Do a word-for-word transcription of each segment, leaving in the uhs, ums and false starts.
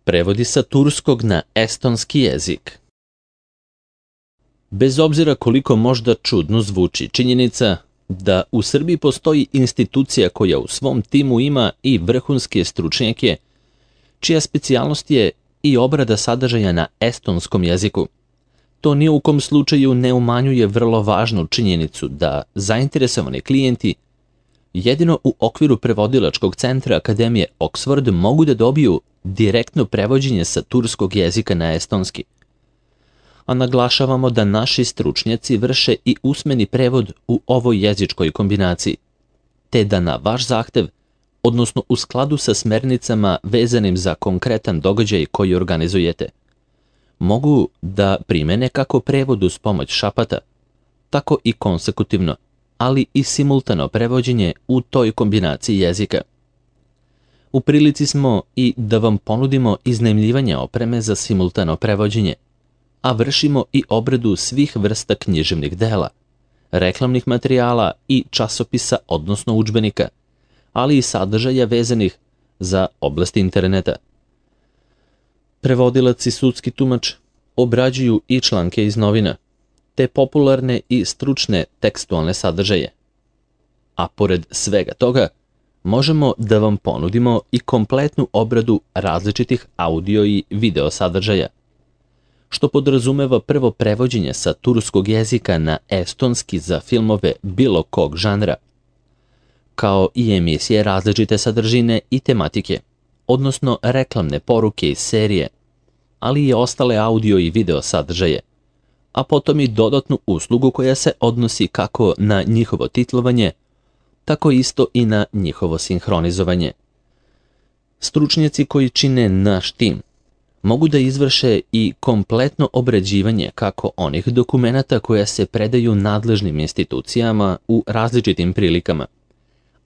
Prevodi sa turskog na estonski jezik. Bez obzira koliko možda čudno zvuči činjenica da u Srbiji postoji institucija koja u svom timu ima i vrhunske stručnjake, čija specijalnost je i obrada sadržaja na estonskom jeziku, to ni u kom slučaju ne umanjuje vrlo važnu činjenicu da zainteresovani klijenti jedino u okviru prevodilačkog centra Akademije Oxford mogu da dobiju direktno prevođenje sa turskog jezika na estonski. A naglašavamo da naši stručnjaci vrše i usmeni prevod u ovoj jezičkoj kombinaciji, te da na vaš zahtev, odnosno u skladu sa smernicama vezanim za konkretan događaj koji organizujete, mogu da primene kako prevod uz pomoć šapata, tako i konsekutivno, ali i simultano prevođenje u toj kombinaciji jezika. U prilici smo i da vam ponudimo iznajmljivanje opreme za simultano prevođenje, a vršimo i obradu svih vrsta književnih dela, reklamnih materijala i časopisa, odnosno udžbenika, ali i sadržaja vezanih za oblast interneta. Prevodilac i sudski tumač obrađuju i članke iz novina, te popularne i stručne tekstualne sadržaje. A pored svega toga, možemo da vam ponudimo i kompletnu obradu različitih audio i video sadržaja, što podrazumeva prvo prevođenje sa turskog jezika na estonski za filmove bilo kog žanra, kao i emisije različite sadržine i tematike, odnosno reklamne poruke iz serije, ali i ostale audio i video sadržaje, a potom i dodatnu uslugu koja se odnosi kako na njihovo titlovanje, tako isto i na njihovo sinhronizovanje. Stručnjaci koji čine naš tim mogu da izvrše i kompletno obrađivanje kako onih dokumenata koja se predaju nadležnim institucijama u različitim prilikama,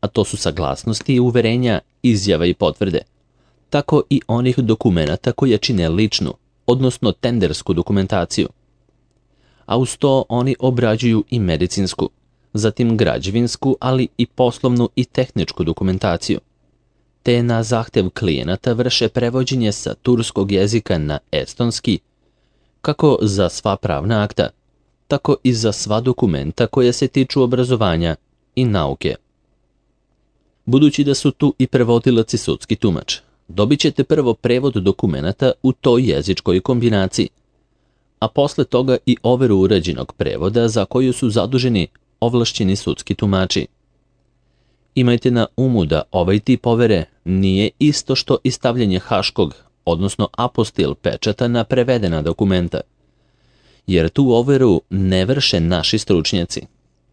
a to su saglasnosti, uverenja, izjava i potvrde, tako i onih dokumenata koja čine ličnu, odnosno tendersku dokumentaciju. A uz to oni obrađuju i medicinsku, zatim građevinsku, ali i poslovnu i tehničku dokumentaciju, te na zahtev klijenata vrše prevođenje sa turskog jezika na estonski, kako za sva pravna akta, tako i za sva dokumenta koja se tiču obrazovanja i nauke. Budući da su tu i prevodilac i sudski tumač, dobit ćete prvo prevod dokumenata u toj jezičkoj kombinaciji, a posle toga i overu urađenog prevoda za koju su zaduženi ovlašćeni sudski tumači. Imajte na umu da ovaj tip overe nije isto što i stavljanje haškog, odnosno apostil pečata na prevedena dokumenta, jer tu overu ne vrše naši stručnjaci,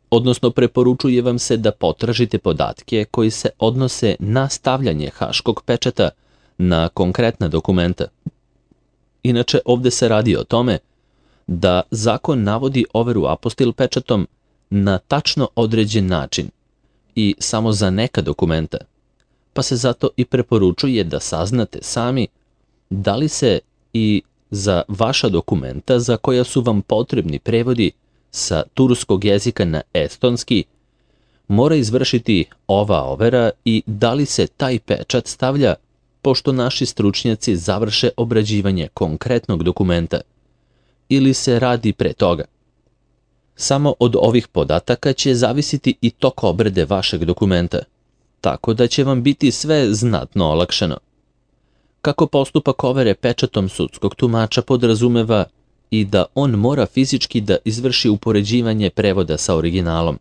odnosno preporučuje vam se da potražite podatke koji se odnose na stavljanje haškog pečata na konkretna dokumenta. Inače, ovde se radi o tome da zakon navodi overu apostil pečatom na tačno određen način i samo za neka dokumenta, pa se zato i preporučuje da saznate sami da li se i za vaša dokumenta za koja su vam potrebni prevodi sa turskog jezika na estonski mora izvršiti ova overa i da li se taj pečat stavlja pošto naši stručnjaci završe obrađivanje konkretnog dokumenta ili se radi pre toga. Samo od ovih podataka će zavisiti i tok obrade vašeg dokumenta, tako da će vam biti sve znatno olakšano. Kako postupak overe pečatom sudskog tumača podrazumeva i da on mora fizički da izvrši upoređivanje prevoda sa originalom.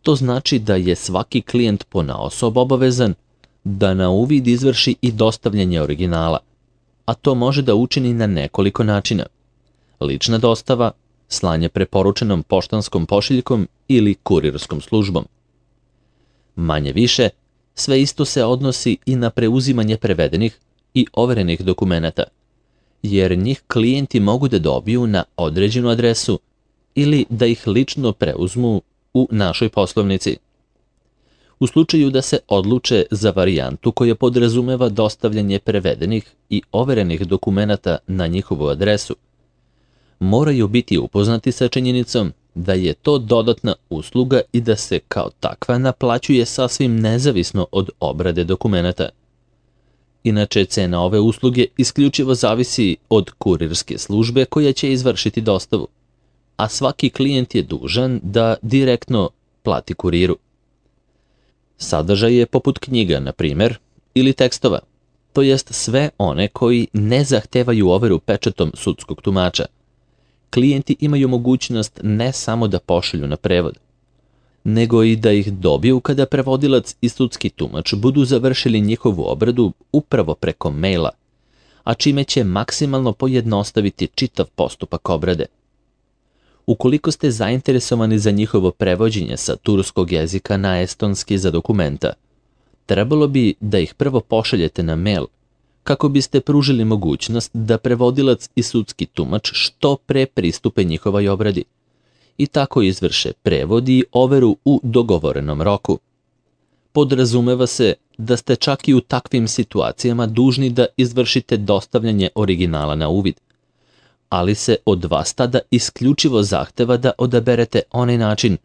To znači da je svaki klijent ponaosob obavezan da na uvid izvrši i dostavljanje originala, a to može da učini na nekoliko načina: lična dostava, slanje preporučenom poštanskom pošiljkom ili kurirskom službom. Manje više, sve isto se odnosi i na preuzimanje prevedenih i overenih dokumenata, jer njih klijenti mogu da dobiju na određenu adresu ili da ih lično preuzmu u našoj poslovnici. U slučaju da se odluče za varijantu koja podrazumeva dostavljanje prevedenih i overenih dokumenata na njihovu adresu, moraju biti upoznati sa činjenicom da je to dodatna usluga i da se kao takva naplaćuje sasvim nezavisno od obrade dokumenata. Inače, cena ove usluge isključivo zavisi od kurirske službe koja će izvršiti dostavu, a svaki klijent je dužan da direktno plati kuriru. Sadržaj je poput knjiga, na primjer, ili tekstova, to jest sve one koji ne zahtevaju overu pečatom sudskog tumača. Klijenti imaju mogućnost ne samo da pošalju na prevod, nego i da ih dobiju kada prevodilac i sudski tumač budu završili njihovu obradu upravo preko maila, a čime će maksimalno pojednostaviti čitav postupak obrade. Ukoliko ste zainteresovani za njihovo prevođenje sa turskog jezika na estonski za dokumenta, trebalo bi da ih prvo pošaljete na mail, kako biste pružili mogućnost da prevodilac i sudski tumač što pre pristupe njihovoj obradi i tako izvrše prevod i overu u dogovorenom roku. Podrazumeva se da ste čak i u takvim situacijama dužni da izvršite dostavljanje originala na uvid, ali se od vas tada isključivo zahteva da odaberete onaj način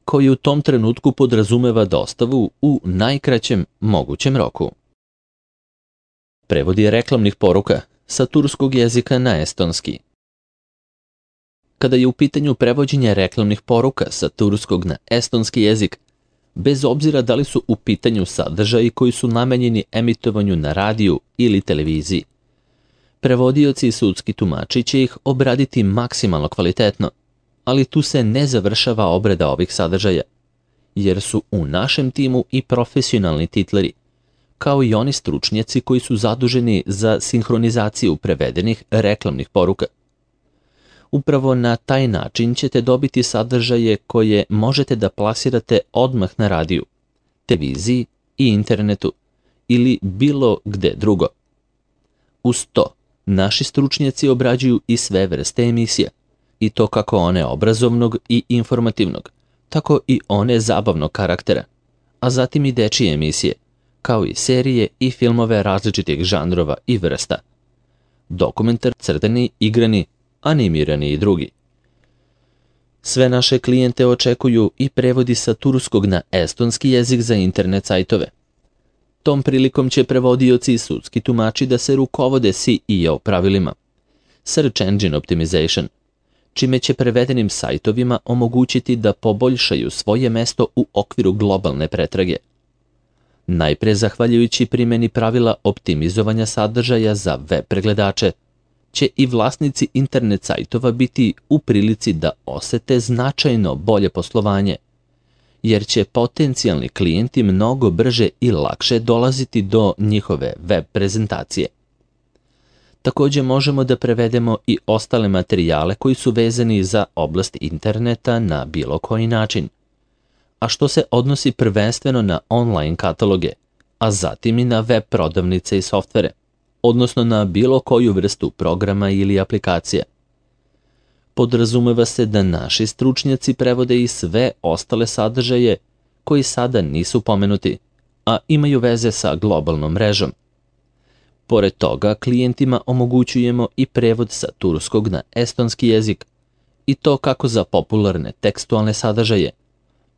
koji u tom trenutku podrazumeva dostavu u najkraćem mogućem roku. Prevodi reklamnih poruka sa turskog jezika na estonski. Kada je u pitanju prevođenje reklamnih poruka sa turskog na estonski jezik, bez obzira da li su u pitanju sadržaji koji su namenjeni emitovanju na radiju ili televiziji, prevodioci i sudski tumači će ih obraditi maksimalno kvalitetno, ali tu se ne završava obrada ovih sadržaja, jer su u našem timu i profesionalni titleri, kao i oni stručnjaci koji su zaduženi za sinhronizaciju prevedenih reklamnih poruka. Upravo na taj način ćete dobiti sadržaje koje možete da plasirate odmah na radiju, televiziji i internetu ili bilo gde drugo. Uz to, naši stručnjaci obrađuju i sve vrste emisija, i to kako one obrazovnog i informativnog, tako i one zabavnog karaktera, a zatim i dečije emisije, kao i serije i filmove različitih žanrova i vrsta. Dokumentar, crtani, igrani, animirani i drugi. Sve naše klijente očekuju i prevodi sa turskog na estonski jezik za internet sajtove. Tom prilikom će prevodioci i sudski tumači da se rukovode S E O pravilima, Search Engine Optimization, čime će prevedenim sajtovima omogućiti da poboljšaju svoje mesto u okviru globalne pretrage. Najpre zahvaljujući primjeni pravila optimizovanja sadržaja za web pregledače, će i vlasnici internet sajtova biti u prilici da osete značajno bolje poslovanje, jer će potencijalni klijenti mnogo brže i lakše dolaziti do njihove web prezentacije. Također možemo da prevedemo i ostale materijale koji su vezani za oblast interneta na bilo koji način, a što se odnosi prvenstveno na online kataloge, a zatim i na web prodavnice i softvere, odnosno na bilo koju vrstu programa ili aplikacija. Podrazumeva se da naši stručnjaci prevode i sve ostale sadržaje koji sada nisu pomenuti, a imaju veze sa globalnom mrežom. Pored toga, klijentima omogućujemo i prevod sa turskog na estonski jezik, i to kako za popularne tekstualne sadržaje,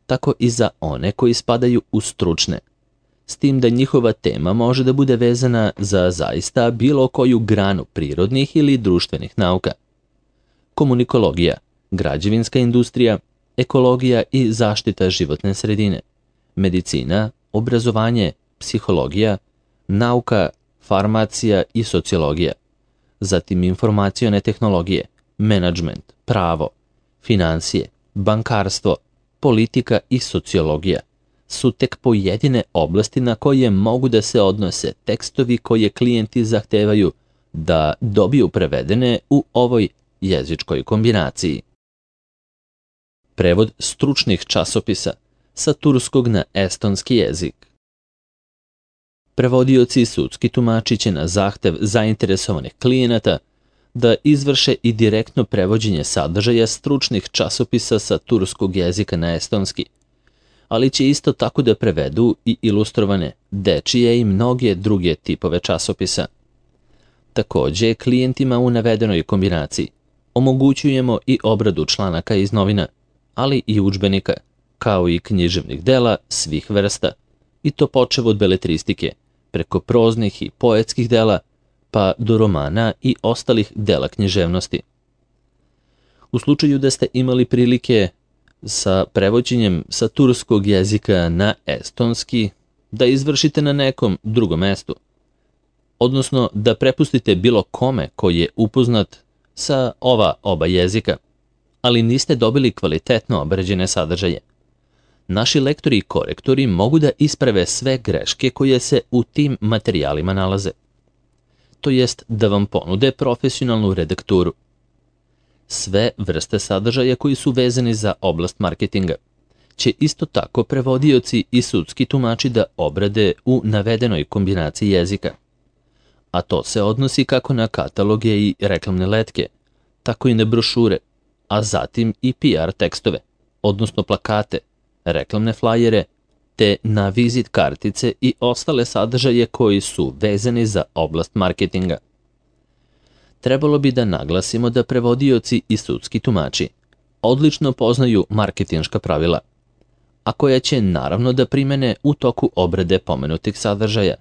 tako i za one koji spadaju u stručne, s tim da njihova tema može da bude vezana za zaista bilo koju granu prirodnih ili društvenih nauka. Komunikologija, građevinska industrija, ekologija i zaštita životne sredine, medicina, obrazovanje, psihologija, nauka, farmacija i sociologija, zatim informacione tehnologije, menadžment, pravo, financije, bankarstvo, politika i sociologija su tek pojedine oblasti na koje mogu da se odnose tekstovi koje klijenti zahtevaju da dobiju prevedene u ovoj jezičkoj kombinaciji. Prevod stručnih časopisa sa turskog na estonski jezik. Prevodioci i sudski tumači će na zahtev zainteresovanih klijenata da izvrše i direktno prevođenje sadržaja stručnih časopisa sa turskog jezika na estonski, ali će isto tako da prevedu i ilustrovane, dečije i mnoge druge tipove časopisa. Također, klijentima u navedenoj kombinaciji omogućujemo i obradu članaka iz novina, ali i udžbenika, kao i književnih dela svih vrsta, i to počev od beletristike, preko proznih i poetskih dela, pa do romana i ostalih dela književnosti. U slučaju da ste imali prilike sa prevođenjem sa turskog jezika na estonski da izvršite na nekom drugom mestu, odnosno da prepustite bilo kome koji je upoznat sa ova oba jezika, ali niste dobili kvalitetno obrađene sadržaje. Naši lektori i korektori mogu da isprave sve greške koje se u tim materijalima nalaze, to jest da vam ponude profesionalnu redakturu. Sve vrste sadržaja koji su vezani za oblast marketinga će isto tako prevodioci i sudski tumači da obrade u navedenoj kombinaciji jezika, a to se odnosi kako na kataloge i reklamne letke, tako i na brošure, a zatim i P R tekstove, odnosno plakate, reklamne flajere, te na vizit kartice i ostale sadržaje koji su vezani za oblast marketinga. Trebalo bi da naglasimo da prevodioci i sudski tumači odlično poznaju marketinška pravila, a koja će naravno da primene u toku obrade pomenutih sadržaja.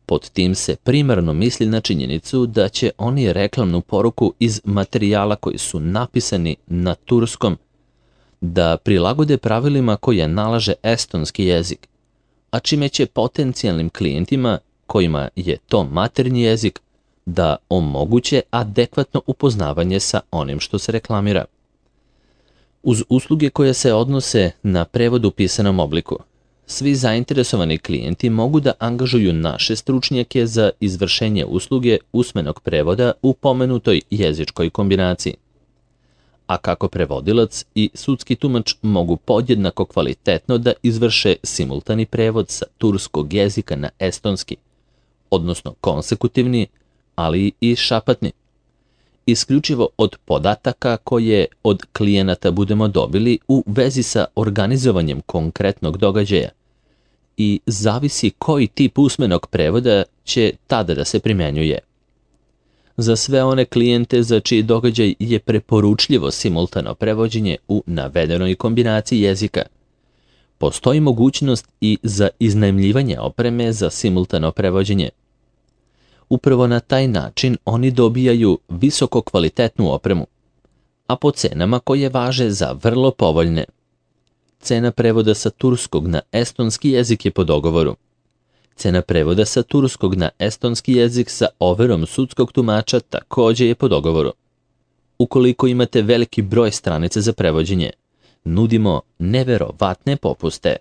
Pod tim se primarno misli na činjenicu da će oni reklamnu poruku iz materijala koji su napisani na turskom da prilagode pravilima koje nalaže estonski jezik, a čime će potencijalnim klijentima kojima je to maternji jezik da omoguće adekvatno upoznavanje sa onim što se reklamira. Uz usluge koje se odnose na prevod u pisanom obliku, svi zainteresovani klijenti mogu da angažuju naše stručnjake za izvršenje usluge usmenog prevoda u pomenutoj jezičkoj kombinaciji. A kako prevodilac i sudski tumač mogu podjednako kvalitetno da izvrše simultani prevod sa turskog jezika na estonski, odnosno konsekutivni, ali i šapatni, isključivo od podataka koje od klijenata budemo dobili u vezi sa organizovanjem konkretnog događaja i zavisi koji tip usmenog prevoda će tada da se primenjuje. Za sve one klijente za čiji događaj je preporučljivo simultano prevođenje u navedenoj kombinaciji jezika, postoji mogućnost i za iznajmljivanje opreme za simultano prevođenje. Upravo na taj način oni dobijaju visoko kvalitetnu opremu, a po cenama koje važe za vrlo povoljne. Cena prevoda sa turskog na estonski jezik je po dogovoru. Cena prevoda sa turskog na estonski jezik sa overom sudskog tumača takođe je po dogovoru. Ukoliko imate veliki broj stranica za prevođenje, nudimo neverovatne popuste.